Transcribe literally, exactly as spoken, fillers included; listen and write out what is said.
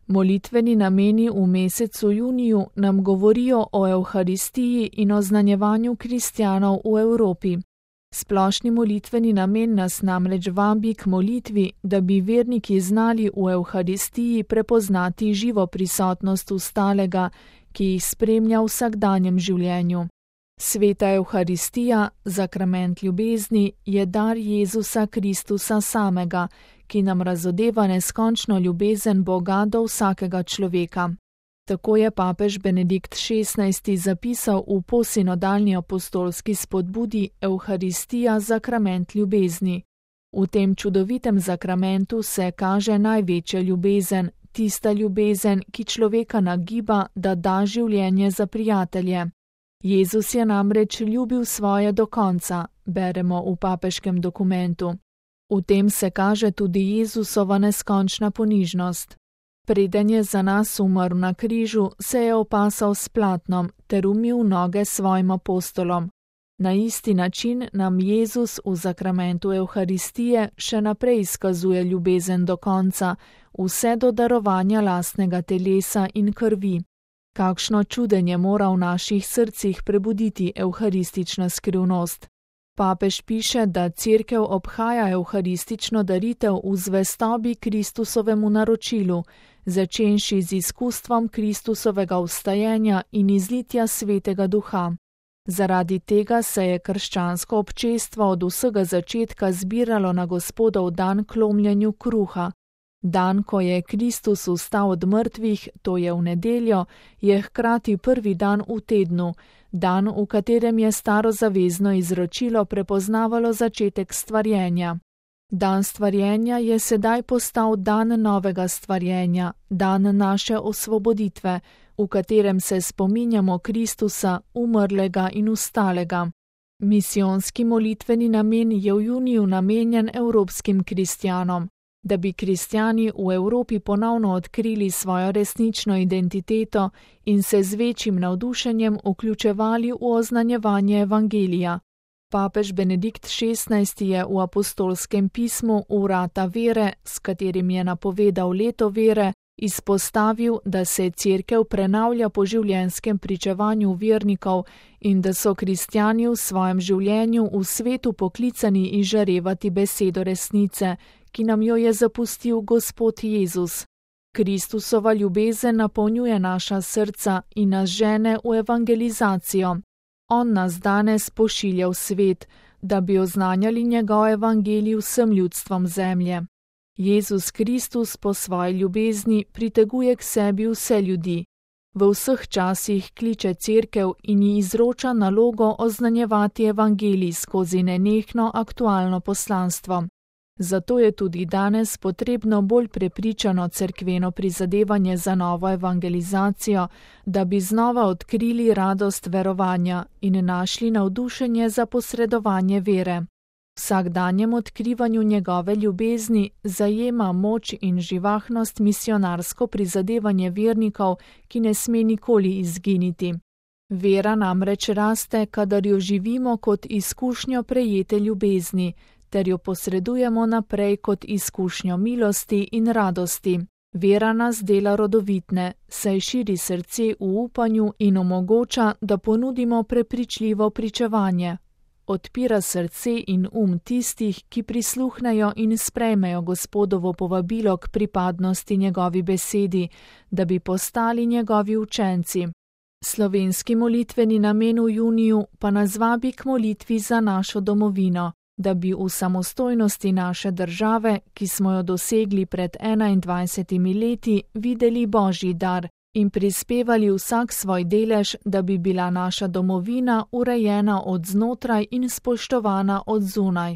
Molitveni nameni v mesecu juniju nam govorijo o Evharistiji in oznanjevanju kristjanov v Evropi. Splošni molitveni namen nas namreč vabi k molitvi, da bi verniki znali v Evharistiji prepoznati živo prisotnost Vstalega, ki jih spremlja v vsakdanjem življenju. Sveta Evharistija, zakrament ljubezni, je dar Jezusa Kristusa samega, ki nam razodeva neskončno ljubezen Boga do vsakega človeka. Tako je papež Benedikt šestnajsti zapisal v posinodalni apostolski spodbudi Evharistija, zakrament ljubezni. V tem čudovitem zakramentu se kaže največja ljubezen, tista ljubezen, ki človeka nagiba, da da življenje za prijatelje. Jezus je namreč ljubil svoje do konca, beremo v papeškem dokumentu. V tem se kaže tudi Jezusova neskončna ponižnost. Preden je za nas umrl na križu, se je opasal s platnom ter umil noge svojim apostolom. Na isti način nam Jezus v zakramentu Evharistije še naprej izkazuje ljubezen do konca, vse do darovanja lastnega telesa in krvi. Kakšno čudenje mora v naših srcih prebuditi evharistična skrivnost. Papež piše, da Cerkev obhaja evharistično daritev v zvestobi Kristusovemu naročilu, začenši z izkustvom Kristusovega vstajenja in izlitja Svetega Duha. Zaradi tega se je krščansko občestvo od vsega začetka zbiralo na Gospodov dan k lomljenju kruha. Dan, ko je Kristus vstal od mrtvih, to je v nedeljo, je hkrati prvi dan v tednu, dan, v katerem je starozavezno izročilo prepoznavalo začetek stvarjenja. Dan stvarjenja je sedaj postal dan novega stvarjenja, dan naše osvoboditve, v katerem se spominjamo Kristusa, umrlega in vstalega. Misijonski molitveni namen je v juniju namenjen evropskim kristjanom. Da bi kristjani v Evropi ponovno odkrili svojo resnično identiteto in se z večjim navdušenjem vključevali v oznanjevanje evangelija. Papež Benedikt šestnajsti je v apostolskem pismu Vrata vere, s katerim je napovedal leto vere, izpostavil, da se Cerkev prenavlja po življenjskem pričevanju vernikov in da so kristjani v svojem življenju v svetu poklicani izžarevati besedo resnice, ki nam jo je zapustil Gospod Jezus. Kristusova ljubezen napolnjuje naša srca in nas žene v evangelizacijo. On nas danes pošilja v svet, da bi oznanjali njegov evangelij vsem ljudstvom zemlje. Jezus Kristus po svoji ljubezni priteguje k sebi vse ljudi. V vseh časih kliče Cerkev in ji izroča nalogo oznanjevati evangelij skozi nenehno aktualno poslanstvo. Zato je tudi danes potrebno bolj prepričano cerkveno prizadevanje za novo evangelizacijo, da bi znova odkrili radost verovanja in našli navdušenje za posredovanje vere. Vsakdanjem odkrivanju njegove ljubezni zajema moč in živahnost misionarsko prizadevanje vernikov, ki ne sme nikoli izginiti. Vera namreč raste, kadar jo živimo kot izkušnjo prejete ljubezni, ter jo posredujemo naprej kot izkušnjo milosti in radosti. Vera nas dela rodovitne, saj širi srce v upanju in omogoča, da ponudimo prepričljivo pričevanje. Odpira srce in um tistih, ki prisluhnejo in sprejmejo Gospodovo povabilo k pripadnosti njegovi besedi, da bi postali njegovi učenci. Slovenski molitveni namen v juniju pa nas vabi k molitvi za našo domovino, da bi v samostojnosti naše države, ki smo jo dosegli pred enaindvajsetimi leti, videli Božji dar in prispevali vsak svoj delež, da bi bila naša domovina urejena od znotraj in spoštovana od zunaj.